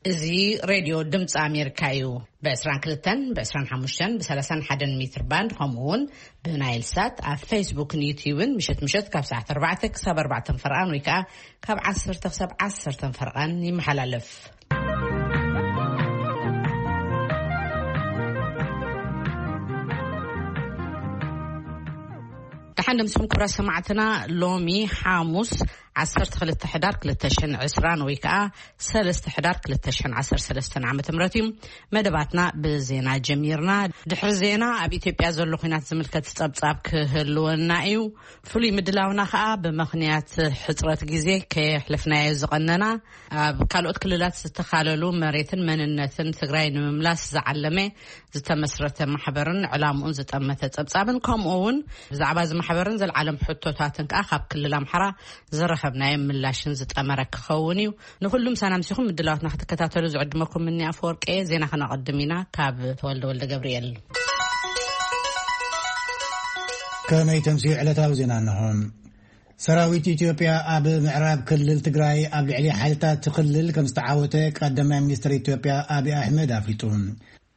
እዚ ሬድዮ ድምፂ ኣሜሪካ እዩ። ብ22፣ ብ25፣ ብ31 ሜትር ባንድ፣ ከምኡ እውን ብናይል ሳት ኣብ ፌስቡክን ዩትዩብን ምሸት ምሸት ካብ ሰዓት ኣርባዕተ ክሳብ ኣርባዕተ ፈርቓን ወይ ከዓ ካብ ዓሰርተ ክሳብ ዓሰርተ ፈርቓን ይመሓላለፍ። ደሓን ደምስኩም ክብራት ሰማዕትና። ሎሚ ሓሙስ ዓሰርተ ክልተ ሕዳር ክልተ ሽሕን ዕስራን ወይ ከዓ ሰለስተ ሕዳር ክልተ ሽሕን ዓሰርተ ሰለስተን ዓመተ ምህረት እዩ። መደባትና ብዜና ጀሚርና። ድሕሪ ዜና ኣብ ኢትዮጵያ ዘሎ ኩናት ዝምልከት ጸብጻብ ክህልወና እዩ። ፍሉይ ምድላውና ከዓ ብምኽንያት ሕጽረት ግዜ ከየሕለፍናዮ ዝቐነና፣ ኣብ ካልኦት ክልላት ዝተኻለሉ መሬትን መንነትን ትግራይ ንምምላስ ዝዓለመ ዝተመስረተ ማሕበርን ዕላምኡን ዝጠመተ ጸብጻብን፣ ከምኡ እውን ብዛዕባ እዚ ማሕበርን ዘልዓለም ሕቶታትን ከዓ ካብ ክልል ኣምሓራ ዝረኸብናዮ ምላሽን ዝጠመረ ክኸውን እዩ። ንኹሉም ሳናምሲኹም ምድላዋትና ክትከታተሉ ዝዕድመኩም እኒ ኣፈወርቂ። ዜና ከነቐድም ኢና። ካብ ተወልደ ወልደ ገብርኤል። ከመይ ተምስዩ ዕለታዊ ዜና እንሆ። ሰራዊት ኢትዮጵያ ኣብ ምዕራብ ክልል ትግራይ ኣብ ልዕሊ ሓይልታት እቲ ክልል ከም ዝተዓወተ ቀዳማይ ሚኒስትር ኢትዮጵያ ኣብይ ኣሕመድ ኣፍሊጡ።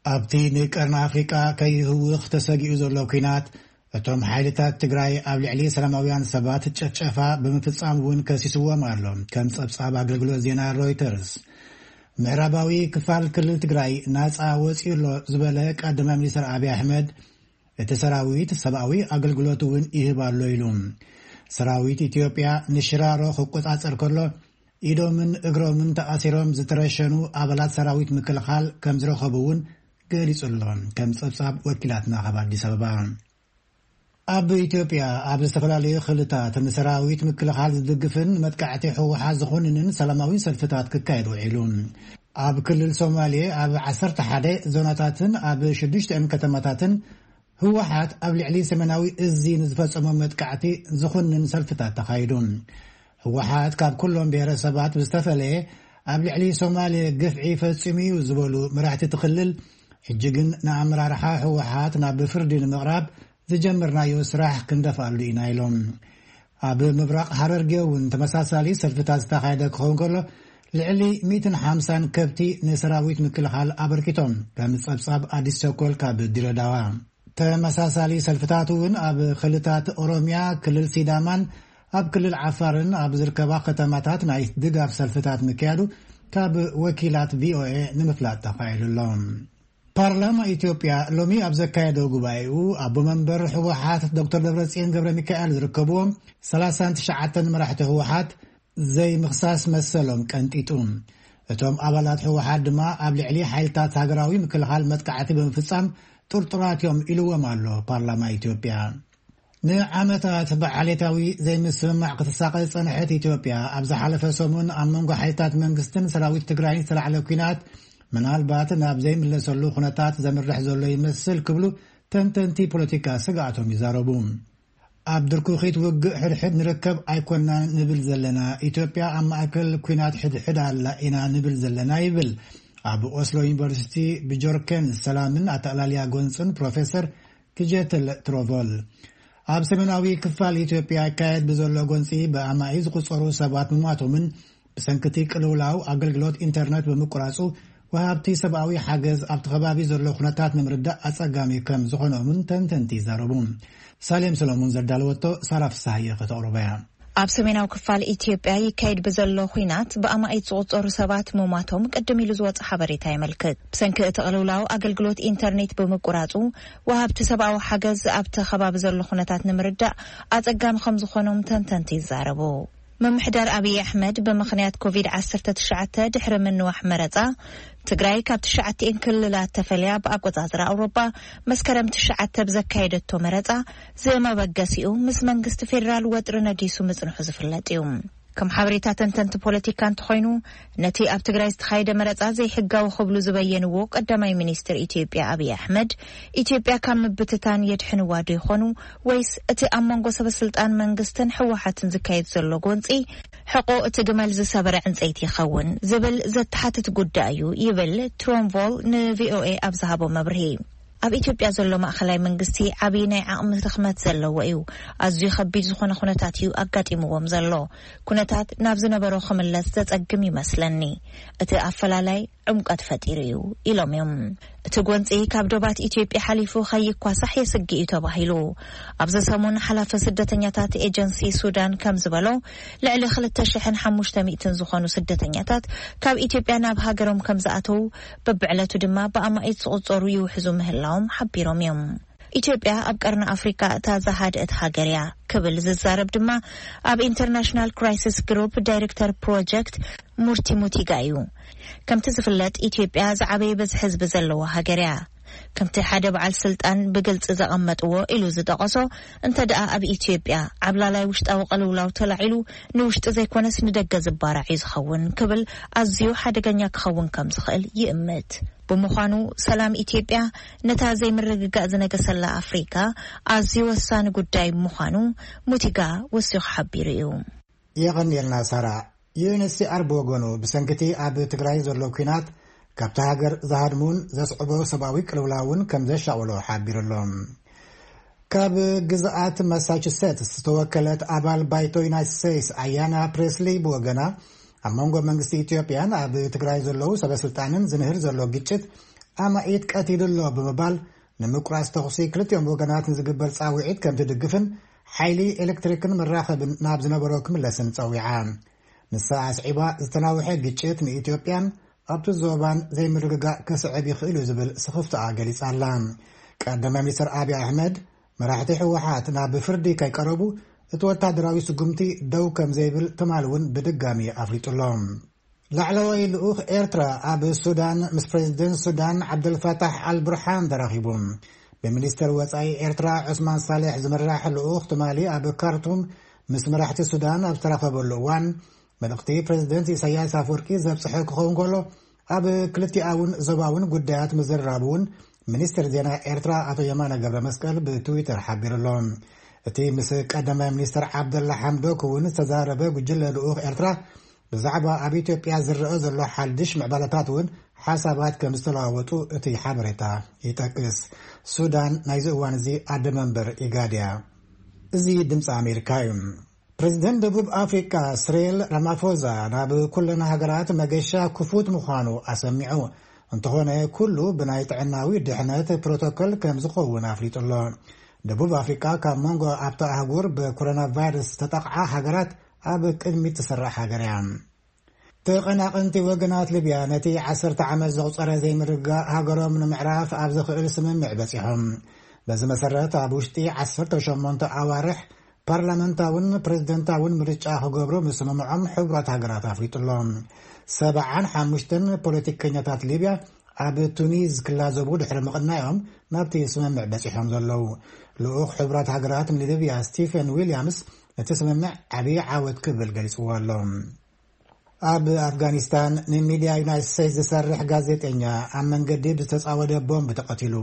ኣብቲ ንቀርኒ ኣፍሪቃ ከይህውኽ ተሰጊኡ ዘሎ ኲናት፣ እቶም ሓይልታት ትግራይ ኣብ ልዕሊ ሰላማውያን ሰባት ጨፍጨፋ ብምፍጻም እውን ከሲስዎም ኣሎ፣ ከም ጸብጻብ ኣገልግሎት ዜና ሮይተርስ። ምዕራባዊ ክፋል ክልል ትግራይ ናጻ ወጺኡ ኣሎ ዝበለ ቀዳማይ ሚኒስትር ኣብይ ኣሕመድ፣ እቲ ሰራዊት ሰብኣዊ ኣገልግሎት እውን ይህብ ኣሎ ኢሉ። ሰራዊት ኢትዮጵያ ንሽራሮ ክቆጻጸር ከሎ፣ ኢዶምን እግሮምን ተኣሲሮም ዝተረሸኑ ኣባላት ሰራዊት ምክልኻል ከም ዝረኸቡ እውን ገሊጹ ኣሎ፣ ከም ጸብጻብ ወኪላትና ካብ ኣዲስ ኣበባ። ኣብ ኢትዮጵያ ኣብ ዝተፈላለዩ ክልታት ንሰራዊት ምክልኻል ዝድግፍን መጥቃዕቲ ህወሓት ዝኾንንን ሰላማዊ ሰልፍታት ክካየድ ውዒሉ። ኣብ ክልል ሶማሌ ኣብ ዓሰርተ ሓደ ዞናታትን ኣብ ሽዱሽተ ከተማታትን ህወሓት ኣብ ልዕሊ ሰሜናዊ እዚ ንዝፈጸሞ መጥቃዕቲ ዝኾንን ሰልፍታት ተኻይዱ። ህወሓት ካብ ኩሎም ብሄረሰባት ብዝተፈለየ ኣብ ልዕሊ ሶማሌ ግፍዒ ፈጺሙ እዩ ዝበሉ መራሕቲ እቲ ክልል፣ ሕጂ ግን ንኣመራርሓ ህወሓት ናብ ፍርዲ ንምቕራብ ዝጀመርናዮ ስራሕ ክንደፍኣሉ ኢና ኢሎም። ኣብ ምብራቕ ሃረርጌ እውን ተመሳሳሊ ሰልፍታት ዝተኻየደ ክኸውን ከሎ፣ ልዕሊ ሚእትን ሓምሳን ከብቲ ንሰራዊት ምክልኻል ኣበርኪቶም፣ ከም ጸብጻብ ኣዲስ ቸኮል ካብ ድሬዳዋ። ተመሳሳሊ ሰልፍታት እውን ኣብ ክልታት ኦሮሚያ፣ ክልል ሲዳማን ኣብ ክልል ዓፋርን ኣብ ዝርከባ ከተማታት ናይ ድጋፍ ሰልፍታት ምክያዱ ካብ ወኪላት ቪኦኤ ንምፍላጥ ተኻኢሉ ኣሎ። ፓርላማ ኢትዮጵያ ሎሚ ኣብ ዘካየዶ ጉባኤኡ፣ ኣቦ መንበር ህወሓት ዶክተር ደብረጽዮን ገብረ ሚካኤል ዝርከብዎም ሰላሳን ትሽዓተን መራሕቲ ህወሓት ዘይምኽሳስ መሰሎም ቀንጢጡ። እቶም ኣባላት ህወሓት ድማ ኣብ ልዕሊ ሓይልታት ሃገራዊ ምክልኻል መጥቃዕቲ ብምፍጻም ጥርጡራት እዮም ኢልዎም ኣሎ ፓርላማ ኢትዮጵያ። ንዓመታት ብዓሌታዊ ዘይምስምማዕ ክትሳቐ ዝጸንሐት ኢትዮጵያ፣ ኣብ ዝሓለፈ ሰሙን ኣብ መንጎ ሓይልታት መንግስትን ሰራዊት ትግራይን ዝተላዕለ ኲናት ምናልባት ናብ ዘይምለሰሉ ኩነታት ዘምርሕ ዘሎ ይመስል ክብሉ ተንተንቲ ፖለቲካ ስግኣቶም ይዛረቡ። ኣብ ድርኩኺት ውግእ ሕድሕድ ንርከብ ኣይኮናን ንብል ዘለና፣ ኢትዮጵያ ኣብ ማእከል ኲናት ሕድሕድ ኣላ ኢና ንብል ዘለና ይብል ኣብ ኦስሎ ዩኒቨርሲቲ ብጆርኬን ሰላምን ኣተኣላልያ ጎንፅን ፕሮፌሰር ክጀትል ትሮቮል። ኣብ ሰሜናዊ ክፋል ኢትዮጵያ ይካየድ ብዘሎ ጎንፂ ብኣማኢ ዝቁፀሩ ሰባት ምሟቶምን ብሰንክቲ ቅልውላው ኣገልግሎት ኢንተርነት ብምቁራፁ ወሃብቲ ሰብኣዊ ሓገዝ ኣብቲ ከባቢ ዘሎ ኩነታት ንምርዳእ ኣጸጋሚ ከም ዝኾኖምን ተንተንቲ ይዛረቡ። ሳሌም ሰሎሞን ዘዳለወቶ ሳራ ፍሳሃየ ከተቕርቦ እያ። ኣብ ሰሜናዊ ክፋል ኢትዮጵያ ይካየድ ብዘሎ ኲናት ብኣማኢት ዝቑጸሩ ሰባት ምሟቶም ቅድም ኢሉ ዝወጸ ሓበሬታ የመልክት። ብሰንኪ እቲ ቅልውላው ኣገልግሎት ኢንተርኔት ብምቁራጹ ወሃብቲ ሰብኣዊ ሓገዝ ኣብቲ ከባቢ ዘሎ ኩነታት ንምርዳእ ኣጸጋሚ ከም ዝኾኖም ተንተንቲ ይዛረቡ። ምምሕዳር ኣብይ ኣሕመድ ብምኽንያት ኮቪድ ዓሰርተ ትሽዓተ ድሕሪ ምንዋሕ መረጻ ትግራይ ካብ ትሽዓቲኤን ክልላት ተፈልያ ብኣቆጻጽራ ኣውሮጳ መስከረም ትሽዓተ ብዘካየደቶ መረጻ ዝመበገሲኡ ምስ መንግስቲ ፌዴራል ወጥሪ ነጊሱ ምጽንሑ ዝፍለጥ እዩ። ከም ሓበሬታ ተንተንቲ ፖለቲካ እንተኾይኑ፣ ነቲ ኣብ ትግራይ ዝተኻየደ መረጻ ዘይሕጋዊ ክብሉ ዝበየንዎ ቀዳማይ ሚኒስትር ኢትዮጵያ ኣብይ ኣሕመድ፣ ኢትዮጵያ ካብ ምብትታን የድሕንዋ ዶ ይኾኑ ወይስ እቲ ኣብ መንጎ ሰበስልጣን መንግስትን ህወሓትን ዝካየድ ዘሎ ጎንጺ ሕቆ እቲ ግመል ዝሰበረ ዕንጸይቲ ይኸውን ዝብል ዘተሓትት ጉዳይ እዩ ይብል ትሮንቮል ንቪኦኤ ኣብ ዝሃቦ መብርሂ። ኣብ ኢትዮጵያ ዘሎ ማእኸላይ መንግስቲ ዓብዪ ናይ ዓቕሚ ድኽመት ዘለዎ እዩ። ኣዝዩ ከቢድ ዝኾነ ኩነታት እዩ ኣጋጢምዎም ዘሎ። ኩነታት ናብ ዝነበሮ ክምለስ ዘጸግም ይመስለኒ። እቲ ኣፈላላይ ዕምቀት ፈጢሩ እዩ ኢሎም እዮም። እቲ ጎንፂ ካብ ዶባት ኢትዮጵያ ሓሊፉ ከይኳሳሕ የስግእ እዩ ተባሂሉ። ኣብዚ ሰሙን ሓላፊ ስደተኛታት ኤጀንሲ ሱዳን ከም ዝበሎ፣ ልዕሊ ክልተ ሽሕን ሓሙሽተ ሚእትን ዝኾኑ ስደተኛታት ካብ ኢትዮጵያ ናብ ሃገሮም ከም ዝኣተው፣ በብዕለቱ ድማ ብኣማኢት ዝቑጸሩ ይውሕዙ ምህላዎም ሓቢሮም እዮም። ኢትዮጵያ ኣብ ቀርኒ ኣፍሪካ እታ ዝሃደአት ሃገር እያ ክብል ዝዛረብ ድማ ኣብ ኢንተርናሽናል ክራይሲስ ግሩፕ ዳይሬክተር ፕሮጀክት ሙርቲ ሙቲጋ እዩ። ከምቲ ዝፍለጥ፣ ኢትዮጵያ ዝዓበየ በዝሒ ህዝቢ ዘለዋ ሃገር እያ። ከምቲ ሓደ በዓል ስልጣን ብግልፂ ዘቐመጥዎ ኢሉ ዝጠቐሶ፣ እንተ ደኣ ኣብ ኢትዮጵያ ዓብላላይ ውሽጣዊ ቅልውላው ተላዒሉ፣ ንውሽጢ ዘይኮነስ ንደገ ዝባራዕ እዩ ዝኸውን ክብል፣ ኣዝዩ ሓደገኛ ክኸውን ከም ዝኽእል ይእምት። ብምዃኑ፣ ሰላም ኢትዮጵያ ነታ ዘይምርግጋእ ዝነገሰላ ኣፍሪካ ኣዝዩ ወሳኒ ጉዳይ ምዃኑ ሙቲጋ ወሲኹ ሓቢሩ እዩ። የቐንየልና ሳራ። ዩ ኤን ኤች ሲ ኣር ብወገኑ፣ ብሰንኪ እቲ ኣብ ትግራይ ዘሎ ኲናት ካብቲ ሃገር ዝሃድሙን ዘስዕቦ ሰብኣዊ ቅልውላውን ከም ዘሻቕሎ ሓቢሩ ኣሎ። ካብ ግዝኣት ማሳቹሴትስ ዝተወከለት ኣባል ባይቶ ዩናይትድ ስቴትስ ኣያና ፕሬስሊ ብወገና፣ ኣብ መንጎ መንግስቲ ኢትዮጵያን ኣብ ትግራይ ዘለዉ ሰበስልጣንን ዝንህር ዘሎ ግጭት ኣማኢት ቀቲሉ ኣሎ ብምባል፣ ንምቁራጽ ተኹሲ ክልቲኦም ወገናት ንዝግበር ጻውዒት ከም ትድግፍን ሓይሊ ኤሌክትሪክን መራኸብን ናብ ዝነበሮ ክምለስን ጸዊዓ። ንሳ ኣስዒባ፣ ዝተናውሐ ግጭት ንኢትዮጵያን ኣብቲ ዞባን ዘይምርግጋእ ከስዕብ ይኽእል እዩ ዝብል ስኽፍታኣ ገሊጻ ኣላ። ቀዳማይ ሚኒስትር ኣብይ ኣሕመድ፣ መራሕቲ ህወሓት ናብ ፍርዲ ከይቀረቡ እቲ ወታደራዊ ስጉምቲ ደው ከም ዘይብል ትማሊ እውን ብድጋሚ ኣፍሊጡ ኣሎ። ላዕለዋይ ልኡኽ ኤርትራ ኣብ ሱዳን ምስ ፕሬዚደንት ሱዳን ዓብደልፋታሕ ኣልቡርሃን ተራኺቡ። ብሚኒስተር ወጻኢ ኤርትራ ዑስማን ሳልሕ ዝምራሕ ልኡኽ ትማሊ ኣብ ካርቱም ምስ መራሕቲ ሱዳን ኣብ ዝተራኸበሉ እዋን፣ መልእኽቲ ፕሬዚደንት ኢሳያስ ኣፈወርቂ ዘብጽሐ ክኸውን ከሎ፣ ኣብ ክልቲኣውን ዞባውን ጉዳያት ምዝርራቡ እውን ሚኒስትር ዜና ኤርትራ ኣቶ የማነ ገብረ መስቀል ብትዊተር ሓቢሩ ኣሎ። እቲ ምስ ቀዳማይ ሚኒስትር ዓብደላ ሓምዶክ እውን ዝተዛረበ ጉጅለ ልኡኽ ኤርትራ፣ ብዛዕባ ኣብ ኢትዮጵያ ዝረአ ዘሎ ሓድሽ ምዕባለታት እውን ሓሳባት ከም ዝተለዋወጡ እቲ ሓበሬታ ይጠቅስ። ሱዳን ናይዚ እዋን እዚ ኣደ መንበር ኢጋድ እያ። እዚ ድምፂ ኣሜሪካ እዩ። ፕሬዚደንት ደቡብ ኣፍሪካ ስሬል ራማፎዛ ናብ ኩለን ሃገራት መገሻ ክፉት ምዃኑ ኣሰሚዑ። እንተኾነ፣ ኩሉ ብናይ ጥዕናዊ ድሕነት ፕሮቶኮል ከም ዝኸውን ኣፍሊጡ ኣሎ። ደቡብ ኣፍሪካ ካብ መንጎ ኣብታ ኣህጉር ብኮሮና ቫይረስ ዝተጠቕዓ ሃገራት ኣብ ቅድሚት ትስራዕ ሃገር እያ። ተቐናቐንቲ ወገናት ሊብያ ነቲ ዓሰርተ ዓመት ዘቑጸረ ዘይምርግጋእ ሃገሮም ንምዕራፍ ኣብ ዘኽእል ስምምዕ በጺሖም። በዚ መሰረት፣ ኣብ ውሽጢ ዓሰርተ ሸሞንተ ኣዋርሕ ፓርላመንታውን ፕሬዝደንታውን ምርጫ ክገብሩ ምስምምዖም ሕቡራት ሃገራት ኣፍሊጡ ኣሎ። ሰብዓን ሓሙሽተን ፖለቲከኛታት ሊብያ ኣብ ቱኒዝ ክላዘቡ ድሕሪ ምቕናዮም ናብቲ ስምምዕ በጺሖም ዘለዉ። ልኡኽ ሕቡራት ሃገራት ንሊብያ ስቲፈን ዊልያምስ፣ ነቲ ስምምዕ ዓብዪ ዓወት ክብል ገሊጽዎ ኣሎ። ኣብ ኣፍጋኒስታን ንሚድያ ዩናይትድ ስቴትስ ዝሰርሕ ጋዜጠኛ ኣብ መንገዲ ብዝተጻወደ ቦምብ ተቐቲሉ።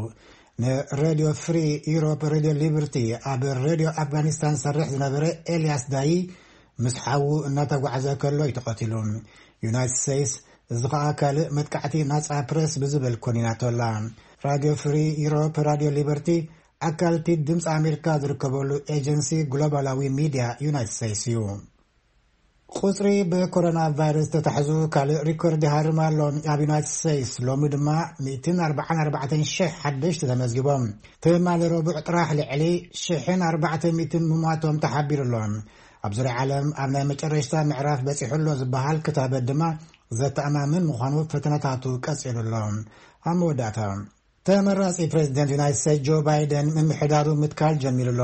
ንሬድዮ ፍሪ ዩሮፕ፣ ሬድዮ ሊበርቲ፣ ኣብ ሬድዮ ኣፍጋኒስታን ዝሰርሕ ዝነበረ ኤልያስ ዳይ ምስ ሓዉ እናተጓዕዘ ከሎ እዩ ተቐቲሉ። ዩናይትድ ስቴትስ፣ እዚ ኸኣ ካልእ መጥቃዕቲ ናጻ ፕረስ ብዝብል ኮኒናቶ ኣላ። ራድዮ ፍሪ ዩሮፕ፣ ራድዮ ሊበርቲ፣ ኣካልቲ ድምፂ ኣሜሪካ ዝርከበሉ ኤጀንሲ ግሎባላዊ ሚድያ ዩናይትድ ስቴትስ እዩ። ቁጽሪ ብኮሮና ቫይረስ ዝተታሕዙ ካልእ ሪኮርድ ይሃርም ኣሎ። ኣብ ዩናይትድ ስቴትስ ሎሚ ድማ ሚእትን ኣርባዓን ኣርባዕተን ሽሕ ሓደሽቲ ተመዝጊቦም። ትማሊ ረቡዕ ጥራሕ ልዕሊ ሽሕን ኣርባዕተ ሚእትን ምሟቶም ተሓቢሩ ኣሎ። ኣብ ዙርያ ዓለም ኣብ ናይ መጨረሽታ ምዕራፍ በጺሑ ኣሎ ዝበሃል ክታበት ድማ ዘተኣማምን ምዃኑ ፈተነታቱ ቀጺሉ ኣሎ። ኣብ መወዳእታ፣ ተመራጺ ፕሬዚደንት ዩናይትድ ስቴትስ ጆ ባይደን ምምሕዳሩ ምትካል ጀሚሩ ኣሎ።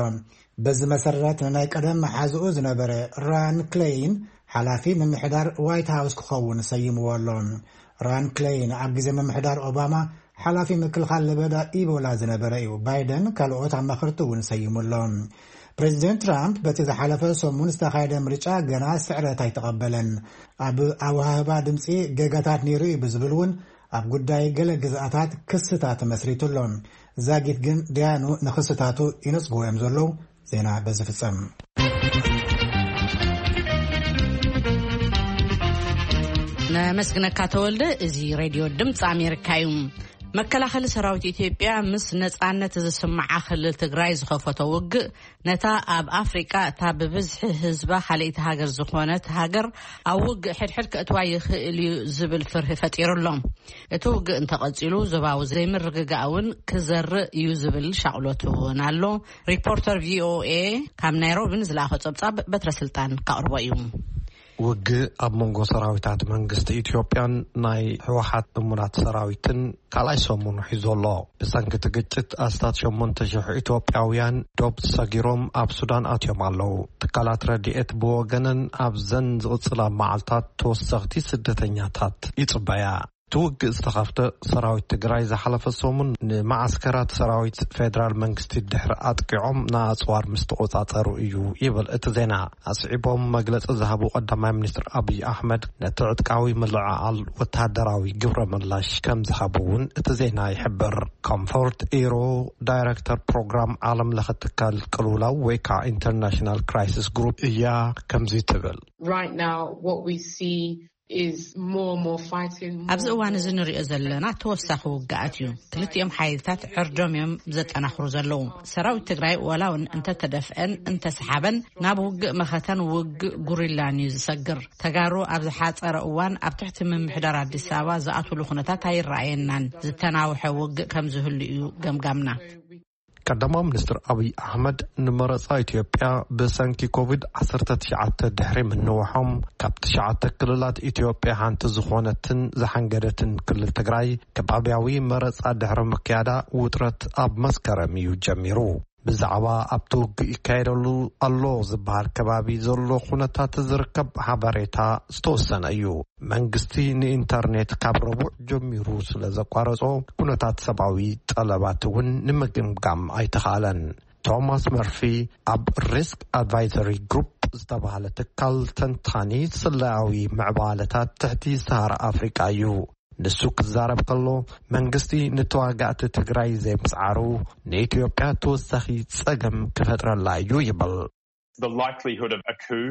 በዚ መሰረት፣ ንናይ ቀደም መሓዝኡ ዝነበረ ራን ክሌይን ሓላፊ ምምሕዳር ዋይት ሃውስ ክኸውን ሰይምዎ ኣሎ። ራን ክሌይን ኣብ ግዜ ምምሕዳር ኦባማ ሓላፊ ምክልኻል ለበዳ ኢቦላ ዝነበረ እዩ። ባይደን ካልኦት ኣማኸርቲ እውን ሰይሙ ኣሎ። ፕሬዚደንት ትራምፕ በቲ ዝሓለፈ ሰሙን ዝተኻየደ ምርጫ ገና ስዕረት ኣይተቐበለን። ኣብ ኣወሃህባ ድምፂ ጌጋታት ነይሩ እዩ ብዝብል እውን ኣብ ጉዳይ ገለ ግዝኣታት ክስታት መስሪቱ ኣሎ። ዛጊት ግን ደያኑ ንክስታቱ ይነጽግዎ እዮም ዘለዉ። ዜና በዚ ፍጸም። ነመስግነካ ተወልደ። እዚ ሬድዮ ድምፂ ኣሜሪካ እዩ። መከላኸሊ ሰራዊት ኢትዮጵያ ምስ ነጻነት ዝስምዓ ክልል ትግራይ ዝኸፈቶ ውግእ፣ ነታ ኣብ ኣፍሪቃ እታ ብብዝሒ ህዝባ ካልኣይቲ ሃገር ዝኾነት ሃገር ኣብ ውግእ ሕድሕድ ከእትዋ ይኽእል እዩ ዝብል ፍርሂ ፈጢሩ ኣሎ። እቲ ውግእ እንተቐጺሉ፣ ዞባዊ ዘይምርግጋእ እውን ክዘርእ እዩ ዝብል ሻቕሎት እውን ኣሎ። ሪፖርተር ቪኦኤ ካብ ናይሮቢ ንዝለኣኾ ጸብጻብ በትረ ስልጣን ከቕርቦ እዩ። ውግእ ኣብ መንጎ ሰራዊታት መንግስቲ ኢትዮጵያን ናይ ህወሓት እሙናት ሰራዊትን ካልኣይ ሰሙኑ ሒዙ ኣሎ። ብሰንኪ እቲ ግጭት ኣስታት ሸሞንተ ሽሕ ኢትዮጵያውያን ዶብ ሰጊሮም ኣብ ሱዳን ኣትዮም ኣለዉ። ትካላት ረድኤት ብወገነን ኣብዘን ዝቕጽላ መዓልታት ተወሰኽቲ ስደተኛታት ይጽበያ። እቲ ውግእ ዝተኸፍተ ሰራዊት ትግራይ ዝሓለፈ ሰሙን ንመዓስከራት ሰራዊት ፌደራል መንግስቲ ድሕሪ ኣጥቂዖም ንኣጽዋር ምስ ተቖጻጸሩ እዩ ይብል እቲ ዜና። ኣስዒቦም መግለጺ ዝሃቡ ቀዳማይ ሚኒስትር ኣብይ ኣሕመድ፣ ነቲ ዕጥቃዊ ምልዕዓል ወተሃደራዊ ግብረ ምላሽ ከም ዝሃቡ እውን እቲ ዜና ይሕብር። ኮምፎርት ኢሮ ዳይሬክተር ፕሮግራም ዓለም ለኸ ትካል ቅልውላው ወይ ከዓ ኢንተርናሽናል ክራይሲስ ግሩፕ እያ ከምዚ ትብል። Right now, what we see is more and more fighting, more ኣብዚ እዋን እዚ ንሪኦ ዘለና ተወሳኺ ውግኣት እዩ። ክልቲኦም ሓይልታት ዕርዶም እዮም ዘጠናኽሩ ዘለዉ። ሰራዊት ትግራይ ዋላ እውን እንተተደፍአን እንተሰሓበን፣ ናብ ውግእ መኸተን ውግእ ጉሪላን እዩ ዝሰግር። ተጋሩ ኣብ ዝሓፀረ እዋን ኣብ ትሕቲ ምምሕዳር ኣዲስ ኣበባ ዝኣትውሉ ኩነታት ኣይረኣየናን። ዝተናውሐ ውግእ ከም ዝህሉ እዩ ገምጋምና። ቀዳማዊ ሚኒስትር ኣብይ ኣሕመድ፣ ንመረጻ ኢትዮጵያ ብሰንኪ ኮቪድ ዓሰርተ ትሽዓተ ድሕሪ ምንዋሖም፣ ካብ ትሽዓተ ክልላት ኢትዮጵያ ሓንቲ ዝኾነትን ዝሓንገደትን ክልል ትግራይ፣ ከባብያዊ መረጻ ድሕሪ ምክያዳ፣ ውጥረት ኣብ መስከረም እዩ ጀሚሩ። ብዛዕባ ኣብቲ ውግእ ይካየደሉ ኣሎ ዝበሃል ከባቢ ዘሎ ኩነታት ዝርከብ ሓበሬታ ዝተወሰነ እዩ። መንግስቲ ንኢንተርኔት ካብ ረቡዕ ጀሚሩ ስለ ዘቋረጾ፣ ኩነታት ሰብኣዊ ጠለባት እውን ንምግምጋም ኣይተኻእለን። ቶማስ መርፊ ኣብ ሪስክ ኣድቫይዘሪ ግሩፕ ዝተባህለ ትካል ተንታኒ ስለያዊ ምዕባለታት ትሕቲ ሰሃራ ኣፍሪቃ እዩ። ንሱ ክዛረብ ከሎ፣ መንግስቲ ንተዋጋእቲ ትግራይ ዘይምጽዓሩ ንኢትዮጵያ ተወሳኺ ጸገም ክፈጥረላ እዩ ይብል። The likelihood of a coup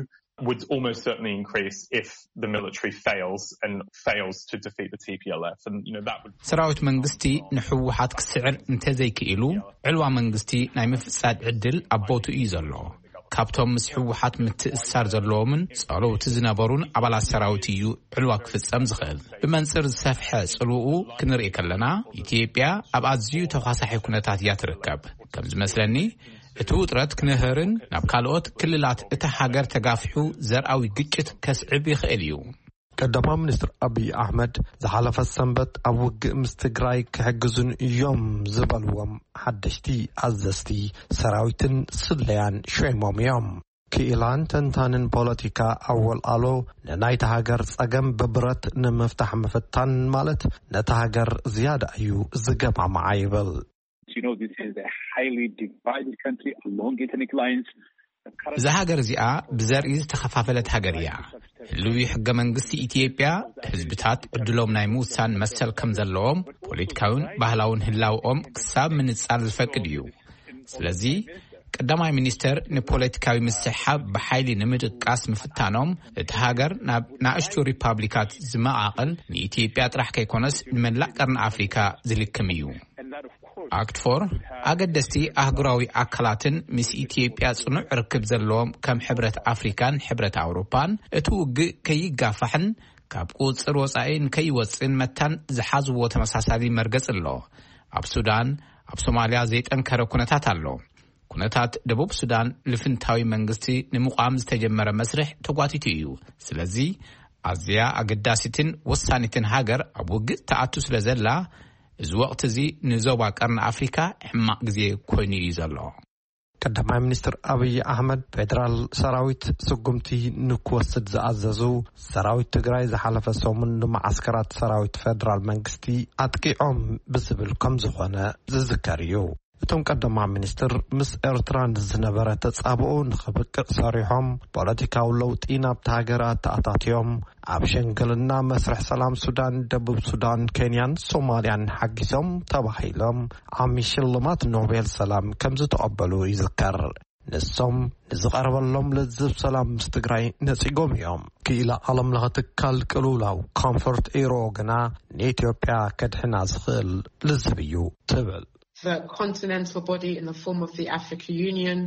would almost certainly increase if the military fails and fails to defeat the T P L F. And, you know, that would ሰራዊት መንግስቲ ንሕወሓት ክስዕር እንተዘይክኢሉ፣ ዕልዋ መንግስቲ ናይ ምፍጻድ ዕድል ኣብ ቦትኡ እዩ ዘሎ። ካብቶም ምስ ሕወሓት ምትእስሳር ዘለዎምን ጸለውቲ ዝነበሩን ኣባላት ሰራዊት እዩ ዕልዋ ክፍጸም ዝኽእል። ብመንጽር ዝሰፍሐ ጽልውኡ ክንርኢ ከለና፣ ኢትዮጵያ ኣብ ኣዝዩ ተኳሳሒ ኩነታት እያ ትርከብ። ከም ዝመስለኒ፣ እቲ ውጥረት ክንህርን ናብ ካልኦት ክልላት እታ ሃገር ተጋፊሑ ዘርኣዊ ግጭት ከስዕብ ይኽእል እዩ። ቀዳማዊ ሚኒስትር ኣብይ ኣሕመድ ዝሓለፈ ሰንበት ኣብ ውግእ ምስ ትግራይ ክሕግዙን እዮም ዝበልዎም ሓደሽቲ ኣዘዝቲ ሰራዊትን ስለያን ሸይሞም እዮም። ክኢላን ተንታንን ፖለቲካ ኣወል ኣሎ፣ ንናይታ ሃገር ጸገም ብብረት ንምፍታሕ ምፍታን ማለት ነታ ሃገር ዝያዳ እዩ ዝገማምዓ ይብል። You know, this is a highly divided country along ethnic lines. እዛ ሃገር እዚኣ ብዘርኢ ዝተኸፋፈለት ሃገር እያ። ህልዊ ሕገ መንግስቲ ኢትዮጵያ፣ ህዝብታት ዕድሎም ናይ ምውሳን መሰል ከም ዘለዎም፣ ፖለቲካውን ባህላውን ህላውኦም ክሳብ ምንጻር ዝፈቅድ እዩ። ስለዚ፣ ቀዳማይ ሚኒስተር ንፖለቲካዊ ምስሕሓብ ብሓይሊ ንምድቃስ ምፍታኖም፣ እቲ ሃገር ናብ ናእሽቱ ሪፓብሊካት ዝመቓቐል ንኢትዮጵያ ጥራሕ ከይኮነስ ንመላእ ቀርኒ ኣፍሪካ ዝልክም እዩ። ኣክትፎር፣ ኣገደስቲ ኣህጉራዊ ኣካላትን ምስ ኢትዮጵያ ጽኑዕ ርክብ ዘለዎም ከም ሕብረት ኣፍሪካን ሕብረት ኣውሮፓን፣ እቲ ውግእ ከይጋፋሕን ካብ ቁጽጽር ወጻኢ ንከይወጽእን መታን ዝሓዝዎ ተመሳሳሊ መርገጽ ኣሎ። ኣብ ሱዳን፣ ኣብ ሶማልያ ዘይጠንከረ ኩነታት ኣሎ። ኩነታት ደቡብ ሱዳን ልፍንታዊ መንግስቲ ንምቋም ዝተጀመረ መስርሕ ተጓቲቱ እዩ። ስለዚ ኣዝያ ኣገዳሲትን ወሳኒትን ሃገር ኣብ ውግእ ትኣቱ ስለ ዘላ፣ እዚ ወቕቲ እዚ ንዞባ ቀርኒ ኣፍሪካ ሕማቕ ግዜ ኮይኑ እዩ ዘሎ። ቀዳማይ ሚኒስትር ኣብይ ኣሕመድ፣ ፌደራል ሰራዊት ስጉምቲ ንክወስድ ዝኣዘዙ፣ ሰራዊት ትግራይ ዝሓለፈ ሰሙን ንመዓስከራት ሰራዊት ፌደራል መንግስቲ ኣጥቂዖም ብዝብል ከም ዝኾነ ዝዝከር እዩ። እቶም ቀዳማይ ሚኒስትር፣ ምስ ኤርትራ ንዝነበረ ተጻብኦ ንኽብቅዕ ሰሪሖም፣ ፖለቲካዊ ለውጢ ናብታ ሃገር ኣተኣታትዮም፣ ኣብ ሽምግልና መስርሕ ሰላም ሱዳን፣ ደቡብ ሱዳን፣ ኬንያን ሶማልያን ሓጊዞም ተባሂሎም፣ ዓሚ ሽልማት ኖቤል ሰላም ከም ዝተቐበሉ ይዝከር። ንሶም ንዝቐረበሎም ልዝብ ሰላም ምስ ትግራይ ነጺጎም እዮም። ክኢላ ዓለም ለኸ ትካል ቅልውላው ኮምፎርት ኤሮ ግና ንኢትዮጵያ ከድሕና ዝኽእል ልዝብ እዩ ትብል። The continental body in the form of the Africa Union,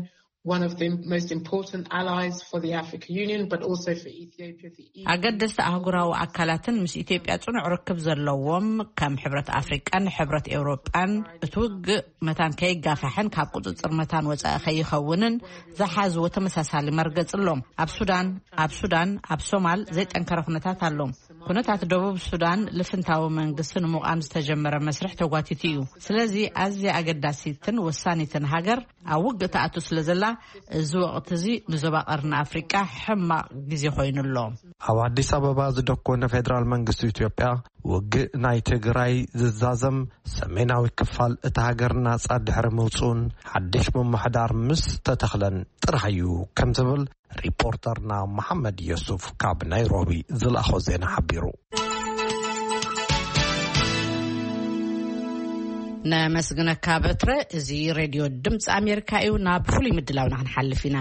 one of the most important allies for the Africa Union, but also for Ethiopia, the E U. ኣገደስቲ ኣህጉራዊ ኣካላትን ምስ ኢትዮጵያ ጽኑዕ ርክብ ዘለዎም ከም ሕብረት ኣፍሪቃን ሕብረት ኤውሮጳን እቲ ውግእ መታን ከይጋፋሕን ካብ ቁጽጽር መታን ወጻኢ ከይኸውንን ዝሓዝዎ ተመሳሳሊ መርገጽ ኣሎ። ኣብ ሱዳን ኣብ ሱዳን ኣብ ሶማል ዘይጠንከረ ኩነታት ኣሎ። ኩነታት ደቡብ ሱዳን ልፍንታዊ መንግስቲ ንምቋም ዝተጀመረ መስርሕ ተጓቲቱ እዩ። ስለዚ ኣዝያ ኣገዳሲትን ወሳኒትን ሃገር ኣብ ውግእ ትኣቱ ስለ ዘላ፣ እዚ ወቕቲ እዚ ንዞባ ቀርኒ ኣፍሪቃ ሕማቕ ግዜ ኮይኑ ኣሎ። ኣብ ኣዲስ ኣበባ ዝደኮነ ፌደራል መንግስቲ ኢትዮጵያ፣ ውግእ ናይ ትግራይ ዝዛዘም፣ ሰሜናዊ ክፋል እታ ሃገር ናጻ ድሕሪ ምውጽኡን ሓድሽ ምምሕዳር ምስ ተተኽለን ጥራሕ እዩ ከም ዝብል ሪፖርተርና መሓመድ የሱፍ ካብ ናይሮቢ ዝለኣኾ ዜና ሓቢሩ። ነመስግነካ በትረ። እዚ ሬድዮ ድምፂ ኣሜሪካ እዩ። ናብ ፍሉይ ምድላውና ክንሓልፍ ኢና።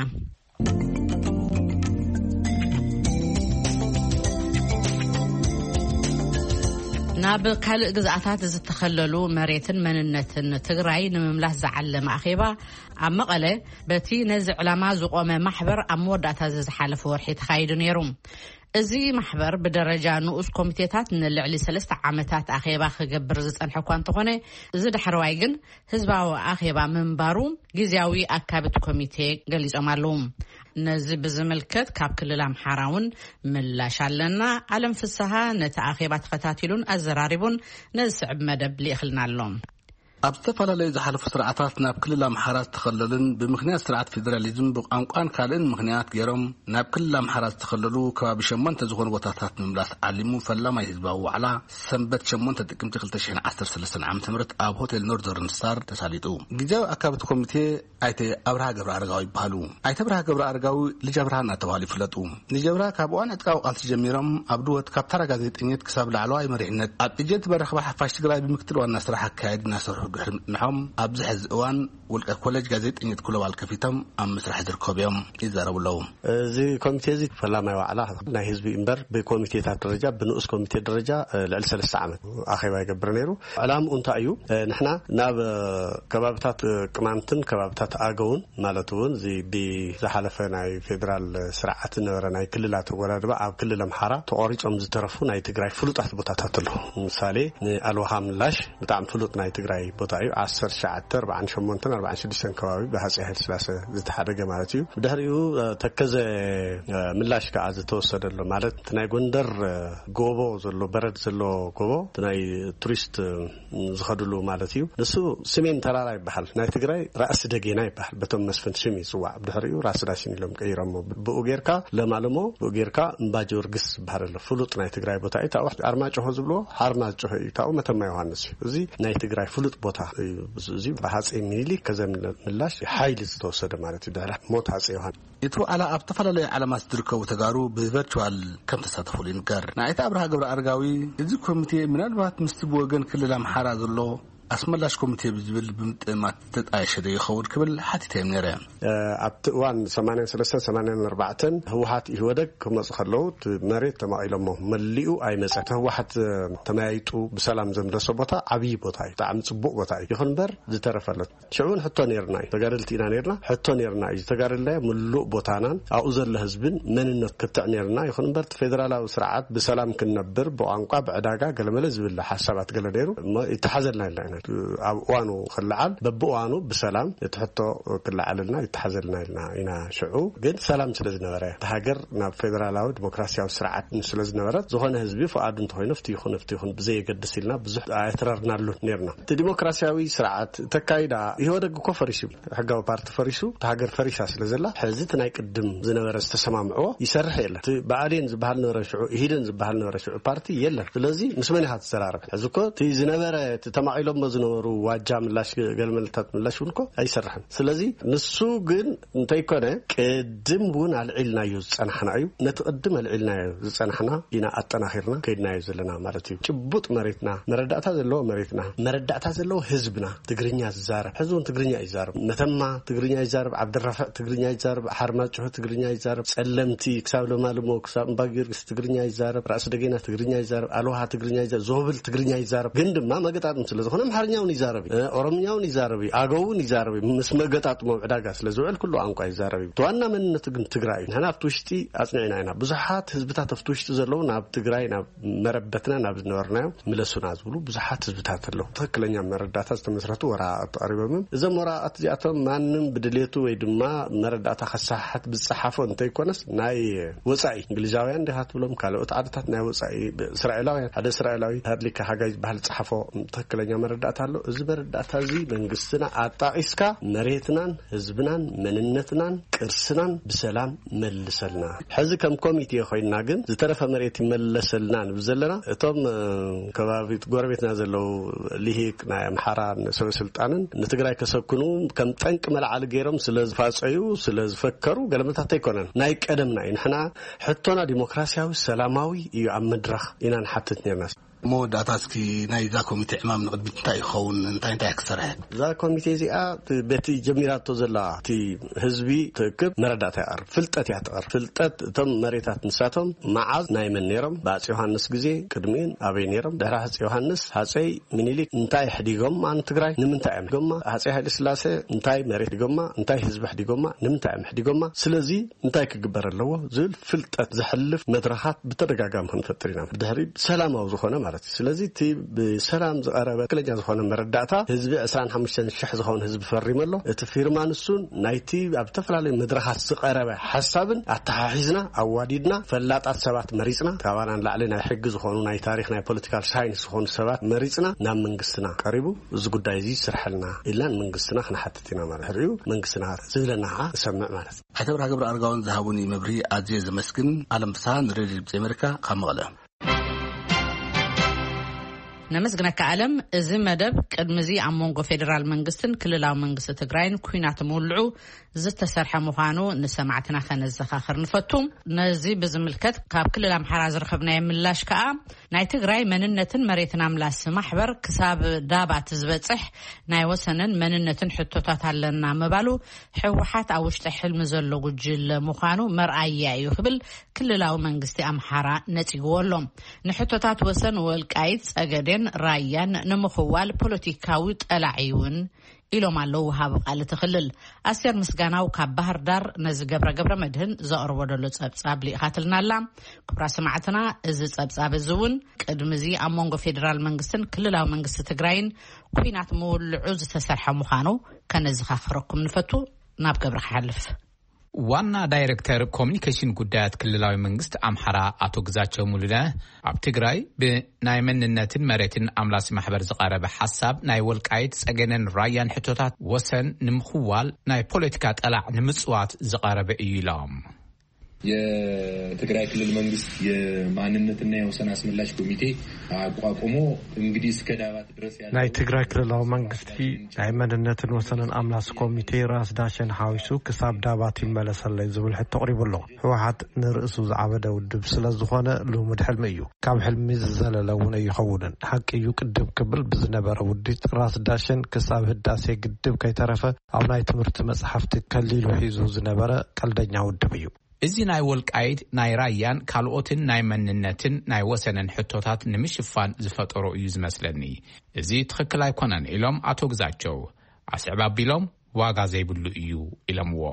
ናብ ካልእ ግዝኣታት ዝተኸለሉ መሬትን መንነትን ትግራይ ንምምላስ ዝዓለመ ኣኼባ ኣብ መቐለ በቲ ነዚ ዕላማ ዝቖመ ማሕበር ኣብ መወዳእታ እዚ ዝሓለፈ ወርሒ ተኻይዱ ነይሩ። እዚ ማሕበር ብደረጃ ንኡስ ኮሚቴታት ንልዕሊ ሰለስተ ዓመታት ኣኼባ ክገብር ዝጸንሐ እኳ እንተኾነ፣ እዚ ዳሕረዋይ ግን ህዝባዊ ኣኼባ ምንባሩ ግዝያዊ ኣካብት ኮሚቴ ገሊጾም ኣለዉ። ነዚ ብዝምልከት ካብ ክልል ኣምሓራ እውን ምላሽ ኣለና። ኣለም ፍስሃ ነቲ ኣኼባ ተኸታቲሉን ኣዘራሪቡን ነዚ ስዕብ መደብ ልኢኽልና ኣሎ። ኣብ ዝተፈላለዩ ዝሓለፉ ስርዓታት ናብ ክልል ኣምሓራ ዝተኸለሉን ብምኽንያት ስርዓት ፌደራሊዝም ብቋንቋን ካልእን ምኽንያት ገይሮም ናብ ክልል ኣምሓራ ዝተኸለሉ ከባቢ ሸሞንተ ዝኾኑ ቦታታት ንምምላስ ዓሊሙ ፈላማይ ህዝባዊ ዋዕላ ሰንበት ሸሞንተ ጥቅምቲ ክልተ ሽሕን ዓሰርተ ሰለስተን ዓመተ ምህረት ኣብ ሆቴል ኖርዘርን ስታር ተሳሊጡ። ግዜያዊ ኣካብቲ ኮሚቴ ኣይተ ኣብርሃ ገብረ ኣረጋዊ ይበሃሉ። ኣይተ ኣብርሃ ገብረ ኣረጋዊ ልጅ ኣብርሃ እናተባሃሉ ይፍለጡ። ልጅ ኣብርሃ ካብ እዋን ዕጥቃዊ ቃልሲ ጀሚሮም ኣብ ድወት ካብ ተራ ጋዜጠኝነት ክሳብ ላዕለዋይ መሪሕነት ኣብ ኤጀንት መራኸቢ ሓፋሽ ትግራይ ብምክትል ዋና ስራሕ ኣካያዲ እናሰርሑ ድሕሪ ምጽንሖም ኣብዚ ሕዚ እዋን ውልቀ ኮሌጅ ጋዜጠኝነት ግሎባል ከፊቶም ኣብ ምስራሕ ዝርከቡ እዮም ይዛረቡ ኣለዉ። እዚ ኮሚቴ እዚ ፈላማይ ዋዕላ ናይ ህዝቢ እምበር ብኮሚቴታት ደረጃ ብንኡስ ኮሚቴ ደረጃ ልዕሊ ሰለስተ ዓመት ኣኼባ ይገብር ነይሩ። ዕላምኡ እንታይ እዩ? ንሕና ናብ ከባብታት ቅማንትን ከባብታት ኣገውን ማለት እውን እዚ ብዝሓለፈ ናይ ፌደራል ስርዓት ዝነበረ ናይ ክልላት ኣወዳድባ ኣብ ክልል ኣምሓራ ተቋሪጾም ዝተረፉ ናይ ትግራይ ፍሉጣት ቦታታት ኣለዉ። ምሳሌ ንኣልዋሃ ምላሽ ብጣዕሚ ፍሉጥ ናይ ትግራይ ቦታ እዩ። ዓሰርተ ትሽዓተ ኣርባዓን ሸሞንተን ኣርባዓን ሽዱሽተን ከባቢ ብሃፀይ ሃይለስላሴ ዝተሓደገ ማለት እዩ። ብድሕሪኡ ተከዘ ምላሽ ከዓ ዝተወሰደሉ ማለት እቲ ናይ ጎንደር ጎቦ ዘሎ በረድ ዘሎ ጎቦ እቲ ናይ ቱሪስት ዝኸድሉ ማለት እዩ። ንሱ ስሜን ተራራ ይበሃል። ናይ ትግራይ ራእሲ ደጌና ይበሃል። በቶም መስፍን ሽም ይፅዋዕ። ብድሕሪኡ ራስ ዳሽን ኢሎም ቀይሮሞ። ብኡ ጌርካ ለማለሞ፣ ብኡ ጌርካ እምባ ጊዮርጊስ ዝበሃል ኣሎ። ፍሉጥ ናይ ትግራይ ቦታ እዩ። ታብኡ ኣርማጭሆ ዝብልዎ ሓርማጭሆ እዩ። ታብኡ መተማ ዮሃንስ እዩ። እዚ ናይ ትግራይ ፍሉጥ ቦታ እዩ። እዚ ብሃፀይ ሚኒሊክ ከዘ ምላሽ ሓይሊ ዝተወሰደ ማለት እዩ። ድሕሪ ሞት ሃፀይ ዮሃንስ እቲ ዋዕላ ኣብ ዝተፈላለዩ ዓለማት ዝርከቡ ተጋሩ ብቨርቹዋል ከም ተሳተፉሉ ይንገር። ንኣይተ ኣብርሃ ገብረ ኣረጋዊ፣ እዚ ኮሚቴ ምናልባት ምስቲ ብወገን ክልል ኣምሓራ ዘሎ ኣስመላሽ ኮሚቴ ብዝብል ብምጥማት ዝተጣየሸ ዶ ይኸውን ክብል ሓቲተዮም ነይረ። ኣብቲ እዋን ሰማንያን ሰለስተን ሰማንያን ኣርባዕተን ህወሓት ኢህወደግ ክመፁ ከለዉ እቲ መሬት ተማቒሎሞ መሊኡ ኣይመፀን። ህወሓት ተመያይጡ ብሰላም ዘምለሶ ቦታ ዓብዪ ቦታ እዩ። ብጣዕሚ ፅቡቕ ቦታ እዩ። ይኹን እምበር ዝተረፈ ኣሎ። ሽዑ እውን ሕቶ ነይርና እዩ። ተጋደልቲ ኢና ነይርና። ሕቶ ነይርና እዩ። ዝተጋደልናዮ ምሉእ ቦታናን ኣብኡ ዘሎ ህዝብን መንነት ክትዕ ነይርና። ይኹን እምበር እቲ ፌደራላዊ ስርዓት ብሰላም ክንነብር ብቋንቋ ብዕዳጋ ገለመለ ዝብል ሓሳባት ገለ ነይሩ። እሞ ይተሓዘልና ኢልና ኢና። ኣብ እዋኑ ክለዓል በብእዋኑ ብሰላም እቲ ሕቶ ክለዓልና ይተሓዘልና ኢልና ኢና። ሽዑ ግን ሰላም ስለ ዝነበረ እቲ ሃገር ናብ ፌደራላዊ ዲሞክራሲያዊ ስርዓት ስለ ዝነበረት ዝኾነ ህዝቢ ፍቓዱ እንተኾይኑ ፍትዩ ይኹን ፍትዩ ይኹን ብዘየገድስ ኢልና ብዙሕ ኣየትረርናሉን ነይርና። እቲ ዲሞክራሲያዊ ስርዓት ተካይዳ ኢህወደግ እኮ ፈሪሱ፣ ሕጋዊ ፓርቲ ፈሪሱ፣ እታ ሃገር ፈሪሳ ስለ ዘላ፣ ሕዚ እቲ ናይ ቅድም ዝነበረ ዝተሰማምዕዎ ይሰርሕ የለን። እቲ ብኣዴን ዝበሃል ነበረ ሽዑ፣ ኢህዴን ዝበሃል ነበረ ሽዑ ፓርቲ የለን። ስለዚ ምስ መን ኢኻ ትዘራረብ? ሕዚ እኮ እቲ ዝነበረ፣ እቲ ተማቒሎሞ ዝነበሩ ዋጃ ምላሽ፣ ገለመለታት ምላሽ እውን እኮ ኣይሰርሕን። ስለዚ ንሱ ግን እንተይኮነ ቅድም እውን ኣልዒልናዮ ዝጸናሕና እዩ። ነቲ ቅድም ኣልዒልናዮ ዝጸናሕና ኢና ኣጠናኺርና ከይድናዮ ዘለና ማለት እዩ። ጭቡጥ መሬትና፣ መረዳእታ ዘለዎ መሬትና፣ መረዳእታ ዘለዎ ህዝብና፣ ትግርኛ ዝዛረብ፣ ሕዚ እውን ትግርኛ ይዛረብ። መተማ ትግርኛ ይዛረብ፣ ዓብድራፍዕ ትግርኛ ይዛረብ፣ ሓርማጭሆ ትግርኛ ይዛረብ፣ ጸለምቲ ክሳብ ለማልሞ፣ ክሳብ እምባ ጊዮርጊስ ትግርኛ ይዛረብ፣ ራእሲ ደገና ትግርኛ ይዛረብ፣ ኣልዋሃ ትግርኛ ይዛረብ፣ ዞብል ትግርኛ ይዛረብ። ግን ድማ መገጣጥም ስለ ዝኾነ ኣምሓርኛ እውን ይዛረብ እዩ፣ ኦሮምኛ እውን ይዛረብ እዩ፣ ኣገው እውን ይዛረብ እዩ። ምስ መገጣጥሞ ዕዳጋ ስለ ዝውዕል ኩሉ ቋንቋ ይዛረብ እዩ። እቲ ዋና መንነቱ ግን ትግራይ እዩ። ንሕና ኣብቲ ውሽጢ ኣጽኒዕና ኢና። ብዙሓት ህዝብታት ኣብቲ ውሽጢ ዘለዉ ናብ ትግራይ፣ ናብ መረበትና፣ ናብ ዝነበርናዮ ምለሱና ዝብሉ ብዙሓት ህዝብታት ኣለዉ። ትኽክለኛ መረዳእታ ዝተመስረቱ ወረቓቕቲ ቀሪቦም እዮም። እዞም ወረቓቕቲ እዚኣቶም ማንም ብድሌቱ ወይ ድማ መረዳእታ ከሰሓሕት ዝጸሓፎ እንተይኮነስ ናይ ወጻኢ፣ እንግሊዛውያን እንዲኻ ትብሎም፣ ካልኦት ዓድታት ናይ ወጻኢ፣ እስራኤላውያን፣ ሓደ እስራኤላዊ ሃድሊካ ሃጋይ ዝበሃል ዝጸሓፎ ትኽክለኛ መረዳእታ ኣሎ። እዚ መረዳእታ እዚ መንግስትና ኣጣቒስካ መሬትናን ህዝብናን መንነትናን ቅርስናን ብሰላም መልሰልና። ሕዚ ከም ኮሚቴ ኮይንና ግን ዝተረፈ መሬት ይመለሰልና ንብል ዘለና። እቶም፣ እ፣ ከባቢ ጎረቤትና ዘለዉ ልሂቅ ናይ ኣምሓራን ሰበ ስልጣንን ንትግራይ ከሰክኑ ከም ጠንቂ መልዓሊ ገይሮም ስለ ዝፋጸዩ፣ ስለ ዝፈከሩ ገለመታት ኣይኮነን። ናይ ቀደምና እዩ። ንሕና ሕቶና ዲሞክራሲያዊ፣ ሰላማዊ እዩ። ኣብ መድረኽ ኢና ንሓትት ነርና። መወዳእታ እስኪ ናይዛ ኮሚቴ ዕማም ንቕድሚት እንታይ ይኸውን? እንታይ እንታይ ክሰርሐ? እዛ ኮሚቴ እዚኣ በቲ ጀሚራቶ ዘላ እቲ ህዝቢ ትእክብ መረዳእታ ይቐርብ፣ ፍልጠት እያ ትቐርብ። ፍልጠት እቶም መሬታት ንሳቶም መዓዝ ናይ መን ነይሮም፣ ብኣፄ ዮሃንስ ግዜ ቅድሚኡን ኣበይ ነይሮም፣ ድሕሪ ኣፄ ዮሃንስ ሃፀይ ምኒልክ እንታይ ሕዲጎማ ንትግራይ፣ ንምንታይ እዮም ሕዲጎማ፣ ሃፀይ ሃይለ ስላሴ እንታይ መሬት ሕዲጎማ፣ እንታይ ህዝቢ ሕዲጎማ፣ ንምንታይ እዮም ሕዲጎማ፣ ስለዚ እንታይ ክግበር ኣለዎ ዝብል ፍልጠት ዘሕልፍ መድረኻት ብተደጋጋሚ ክንፈጥር ኢና። ብድሕሪ ሰላማዊ ዝኾነ ማለት እዩ። ስለዚ እቲ ብሰላም ዝቐረበ ትክክለኛ ዝኾነ መረዳእታ ህዝቢ ዕስራን ሓሙሽተን ሽሕ ዝኾነ ህዝቢ ፈሪሙ ኣሎ። እቲ ፊርማ ንሱን ናይቲ ኣብ ዝተፈላለዩ መድረኻት ዝቐረበ ሓሳብን ኣተሓሒዝና ኣዋዲድና ፈላጣት ሰባት መሪፅና፣ ካባና ንላዕሊ ናይ ሕጊ ዝኾኑ ናይ ታሪኽ ናይ ፖለቲካል ሳይንስ ዝኾኑ ሰባት መሪፅና ናብ መንግስትና ቀሪቡ እዚ ጉዳይ እዚ ይስርሐልና ኢልና ንመንግስትና ክንሓትት ኢና ማለት እዩ። መንግስትና ዝብለና ከዓ ንሰምዕ ማለት እዩ። ኣቶ ብርሃ ገብረ ኣርጋውን ዝሃቡኒ መብርሂ ኣዝየ ዘመስግን። ኣለም ፍስሃ ንሬድዮ ድምፂ ኣሜሪካ ካብ መቐለ። ነመስግነካ ኣለም። እዚ መደብ ቅድሚ እዚ ኣብ መንጎ ፌዴራል መንግስትን ክልላዊ መንግስቲ ትግራይን ኩናት ምውልዑ ዝተሰርሐ ምዃኑ ንሰማዕትና ከነዘኻኽር ንፈቱ። ነዚ ብዝምልከት ካብ ክልል ኣምሓራ ዝረኸብናዮ ምላሽ ከኣ ናይ ትግራይ መንነትን መሬትን ኣምላስ ማሕበር ክሳብ ዳባት ዝበጽሕ ናይ ወሰንን መንነትን ሕቶታት ኣለና ምባሉ ህወሓት ኣብ ውሽጢ ሕልሚ ዘሎ ጉጅለ ምዃኑ መርኣያ እዩ ክብል ክልላዊ መንግስቲ ኣምሓራ ነጺግዎ ኣሎ። ንሕቶታት ወሰን ወልቃይት ጸገዴን ራያን ንምኽዋል ፖለቲካዊ ጠላዒ እውን ኢሎም ኣለዉ ወሃቢ ቃል እቲ ክልል። ኣስቴር ምስጋናው ካብ ባህር ዳር ነዚ ገብረ ገብረ መድህን ዘቕርቦ ዘሎ ጸብጻብ ልኢኻትልና ኣላ። ክቡራ ሰማዕትና፣ እዚ ጸብጻብ እዚ እውን ቅድሚ እዚ ኣብ መንጎ ፌዴራል መንግስትን ክልላዊ መንግስቲ ትግራይን ኩናት ምውልዑ ዝተሰርሐ ምዃኑ ከነዘኻኽረኩም ንፈቱ። ናብ ገብረ ክሓልፍ። ዋና ዳይሬክተር ኮሚኒኬሽን ጉዳያት ክልላዊ መንግስቲ ኣምሓራ ኣቶ ግዛቸው ሙሉነ ኣብ ትግራይ ብናይ መንነትን መሬትን ኣምላሲ ማሕበር ዝቐረበ ሓሳብ ናይ ወልቃይት ጸገነን ራያን ሕቶታት ወሰን ንምኽዋል ናይ ፖለቲካ ጠላዕ ንምጽዋት ዝቐረበ እዩ ኢሎም። የትግራይ ክልል መንግስት የማንነትና የወሰን አስመላሽ ኮሚቴ አቋቁሞ እንግዲህ እስከ ዳባት ድረስ ያለው ናይ ትግራይ ክልላዊ መንግስቲ ናይ መንነትን ወሰንን ኣምላሲ ኮሚቴ ራስ ዳሸን ሓዊሱ ክሳብ ዳባት ይመለሰለይ ዝብል ሕቶ ኣቕሪቡ ኣሎ። ህወሓት ንርእሱ ዝዓበደ ውድብ ስለ ዝኾነ ልሙድ ሕልሚ እዩ። ካብ ሕልሚ ዝዘለለ እውን ኣይኸውንን። ሓቂ እዩ፣ ቅድም ክብል ብዝነበረ ውዲት ራስ ዳሸን ክሳብ ህዳሴ ግድብ ከይተረፈ ኣብ ናይ ትምህርቲ መጽሓፍቲ ከሊሉ ሒዙ ዝነበረ ቀልደኛ ውድብ እዩ። እዚ ናይ ወልቃይት፣ ናይ ራያን ካልኦትን ናይ መንነትን ናይ ወሰንን ሕቶታት ንምሽፋን ዝፈጠሮ እዩ ዝመስለኒ። እዚ ትኽክል ኣይኮነን ኢሎም ኣቶ ግዛቸው ኣስዕብ ኣቢሎም ዋጋ ዘይብሉ እዩ ኢሎምዎ።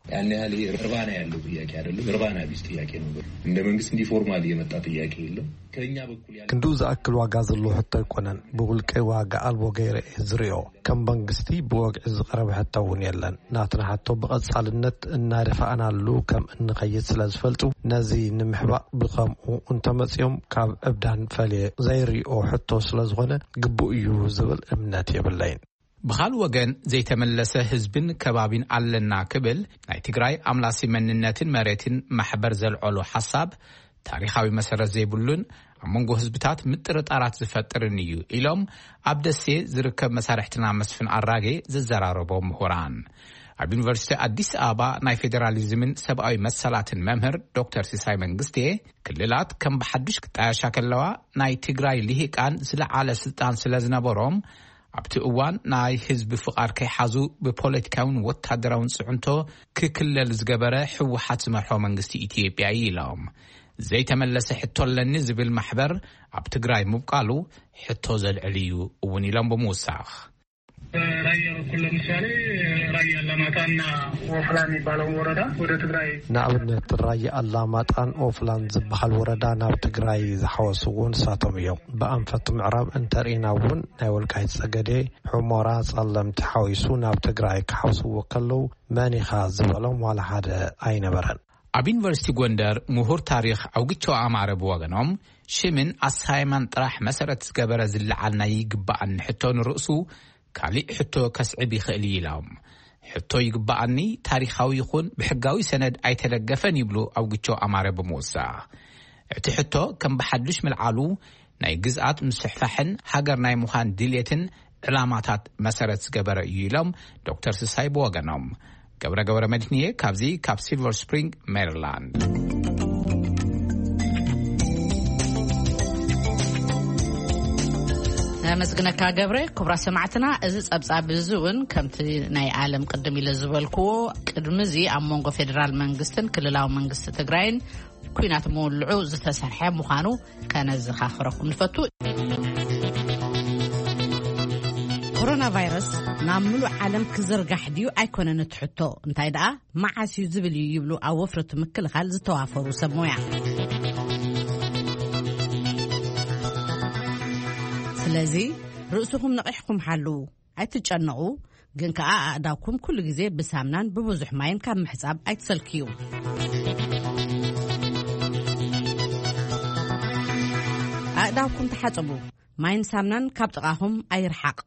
ያን ያህል ይሄ እርባና ያለው ጥያቄ አይደለም። እርባና ቢስ ጥያቄ ነው። እንደ መንግስት እንዲህ ፎርማል የመጣ ጥያቄ የለም። ከኛ በኩል ያለ ክንድኡ ዝኣክል ዋጋ ዘለዎ ሕቶ ኣይኮነን። ብውልቀይ ዋጋ ኣልቦ ገይረ እየ ዝሪኦ። ከም መንግስቲ ብወግዒ ዝቐረበ ሕቶ እውን የለን። ናትና ሕቶ ብቐጻልነት እናደፋእናሉ ከም እንኸይድ ስለ ዝፈልጡ ነዚ ንምሕባእ ብኸምኡ እንተመጺኦም ካብ ዕብዳን ፈልየ ዘይሪኦ ሕቶ ስለ ዝኾነ ግቡእ እዩ ዝብል እምነት የብለይን። ብኻልእ ወገን ዘይተመለሰ ህዝብን ከባቢን ኣለና ክብል ናይ ትግራይ ኣምላሲ መንነትን መሬትን ማሕበር ዘልዐሎ ሓሳብ ታሪኻዊ መሰረት ዘይብሉን ኣብ መንጎ ህዝብታት ምጥርጣራት ዝፈጥርን እዩ ኢሎም ኣብ ደሴ ዝርከብ መሳርሕትና መስፍን ኣራጌ ዝዘራረቦ ምሁራን። ኣብ ዩኒቨርሲቲ ኣዲስ ኣበባ ናይ ፌዴራሊዝምን ሰብኣዊ መሰላትን መምህር ዶክተር ሲሳይ መንግስቴ፣ ክልላት ከም ብሓዱሽ ክጣያሻ ከለዋ ናይ ትግራይ ልሂቃን ዝለዓለ ስልጣን ስለ ዝነበሮም፣ ኣብቲ እዋን ናይ ህዝቢ ፍቓድ ከይሓዙ ብፖለቲካውን ወታደራውን ጽዕንቶ ክክለል ዝገበረ ህወሓት ዝመርሖ መንግስቲ ኢትዮጵያ እዩ ኢሎም። ዘይተመለሰ ሕቶ ኣለኒ ዝብል ማሕበር ኣብ ትግራይ ምብቃሉ ሕቶ ዘልዕል እዩ እውን ኢሎም ብምውሳኽ። በራያ በኩል ለምሳሌ ራያ አላማጣና ወፍላ የሚባለውን ወረዳ ወደ ትግራይ ንኣብነት ራያ ኣላማጣን ኦፍላን ዝበሃል ወረዳ ናብ ትግራይ ዝሓወስዎ ንሳቶም እዮም። ብኣንፈት ምዕራብ እንተርኢና እውን ናይ ወልቃይት ጸገዴ፣ ሑሞራ፣ ጸለምቲ ሓዊሱ ናብ ትግራይ ክሓውስዎ ከለዉ መን ኢኻ ዝበሎም ዋላ ሓደ ኣይነበረን። ኣብ ዩኒቨርሲቲ ጎንደር ምሁር ታሪኽ ኣውግቸው ኣማረ ብወገኖም፣ ሽምን ኣሳይማን ጥራሕ መሰረት ዝገበረ ዝለዓል ናይ ይግባኣኒ ሕቶ ንርእሱ ካሊእ ሕቶ ከስዕብ ይኽእል እዩ ኢሎም። ሕቶ ይግባኣኒ ታሪኻዊ ይኹን ብሕጋዊ ሰነድ ኣይተደገፈን ይብሉ ኣውግቸው ኣማረ ብምውሳኽ። እቲ ሕቶ ከም ብሓዱሽ ምልዓሉ ናይ ግዝኣት ምስሕፋሕን ሃገር ናይ ምዃን ድልየትን ዕላማታት መሰረት ዝገበረ እዩ ኢሎም ዶክተር ስሳይ ብወገኖም። ገብረ ገብረ መድህንየ ካብዚ ካብ ሲልቨር ስፕሪንግ ሜሪላንድ። ነመስግነካ ገብረ። ክቡራት ሰማዕትና፣ እዚ ጸብጻብ እዚ እውን ከምቲ ናይ ዓለም ቅድም ኢለ ዝበልክዎ፣ ቅድሚ እዚ ኣብ መንጎ ፌደራል መንግስትን ክልላዊ መንግስቲ ትግራይን ኲናት ምውልዑ ዝተሰርሐ ምዃኑ ከነዘኻኽረኩም ንፈቱ። ኮሮና ቫይረስ ናብ ምሉእ ዓለም ክዝርጋሕ ድዩ ኣይኮነን እቲ ሕቶ፣ እንታይ ደኣ መዓስ እዩ ዝብል እዩ ይብሉ ኣብ ወፍሪ እቲ ምክልኻል ዝተዋፈሩ ሰብ ሞያ። ስለዚ ርእስኹም ነቒሕኩም ሓልዉ። ኣይትጨነቑ፣ ግን ከኣ ኣእዳውኩም ኩሉ ግዜ ብሳምናን ብብዙሕ ማይን ካብ ምሕጻብ ኣይትሰልክዩ። ኣእዳውኩም ተሓጸቡ። ማይን ሳምናን ካብ ጥቓኹም ኣይርሓቕ።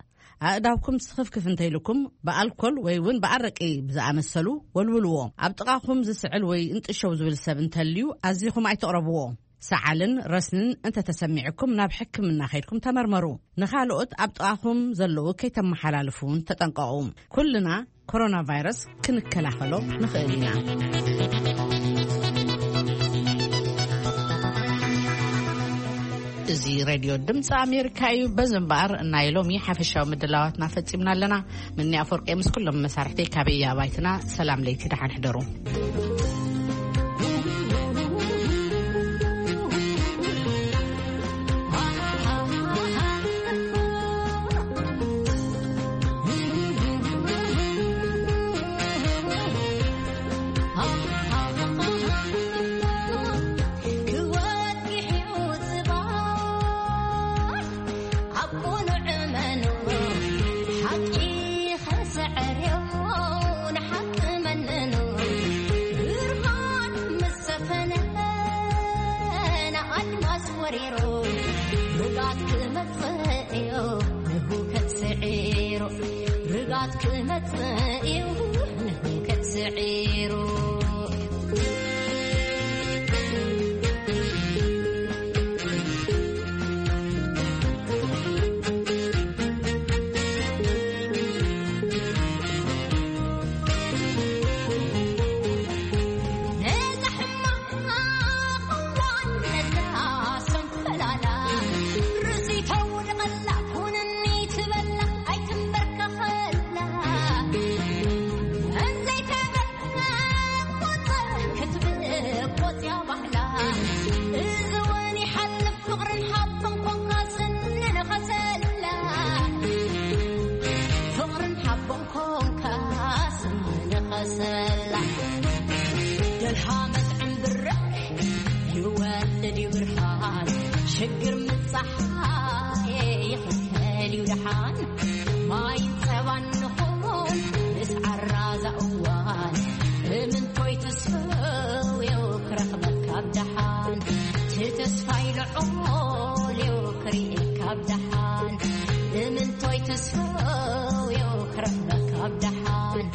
ኣእዳውኩም ስኽፍክፍ እንተኢልኩም ብኣልኮል ወይ እውን ብኣረቂ ብዝኣመሰሉ ወልውልዎ። ኣብ ጥቓኹም ዝስዕል ወይ እንጥሸው ዝብል ሰብ እንተልዩ ኣዚኹም ኣይትቕረብዎ። ሰዓልን ረስንን እንተተሰሚዕኩም ናብ ሕክምና ከይድኩም ተመርመሩ። ንኻልኦት ኣብ ጥቓኹም ዘለዉ ከይተመሓላልፉ እውን ተጠንቀቑ። ኩልና ኮሮና ቫይረስ ክንከላኸሎ ንኽእል ኢና። እዚ ሬድዮ ድምፂ ኣሜሪካ እዩ። በዚ እምበኣር ናይ ሎሚ ሓፈሻዊ ምድላዋትና ፈጺምና ኣለና። ምኒ ኣፈወርቂ ምስ ኩሎም መሳርሕተይ ካበይ ኣባይትና ሰላም ለይቲ ደሓን ሕደሩ። ክወድቕ እዩ ጽባሕ ኣብ ቅኑዕ እመኑ፣ ሓቂ ኸስዕር እዩ ንሓቂ መንኑ። ብርሃን ምስ ሰፈነ ንኣድማስ ወሪሩ፣ ርግኣት ክመጽእ እዩ ንህውከት ስዒሩ። ርግኣት ክመጽእ እዩ ንህውከት ስዒሩ። ፍቕርን ሓቦን ኮንካ ስንንኸሰላ፣ ፍቕርን ሓቦን ኮንካ ስንንኸሰላ። ደልሃመት ዕምብረ ይወልድ እዩ ብርሃን፣ ሽግር ምጻሓይ ይኽተል እዩ ደሓን። ማይ ጸባን ንኹን ምስ ዓራዛ እዋን፣ እምንቶይ ትስፈው እዩ ክረኽበካ ኣብ ደሓን። እቲ ተስፋይ ልዑል እዩ ክርእየካ ኣብ ደሓን። እምንቶይ ትስፈው እዩ ክረኽበካ ኣብ ደሓን።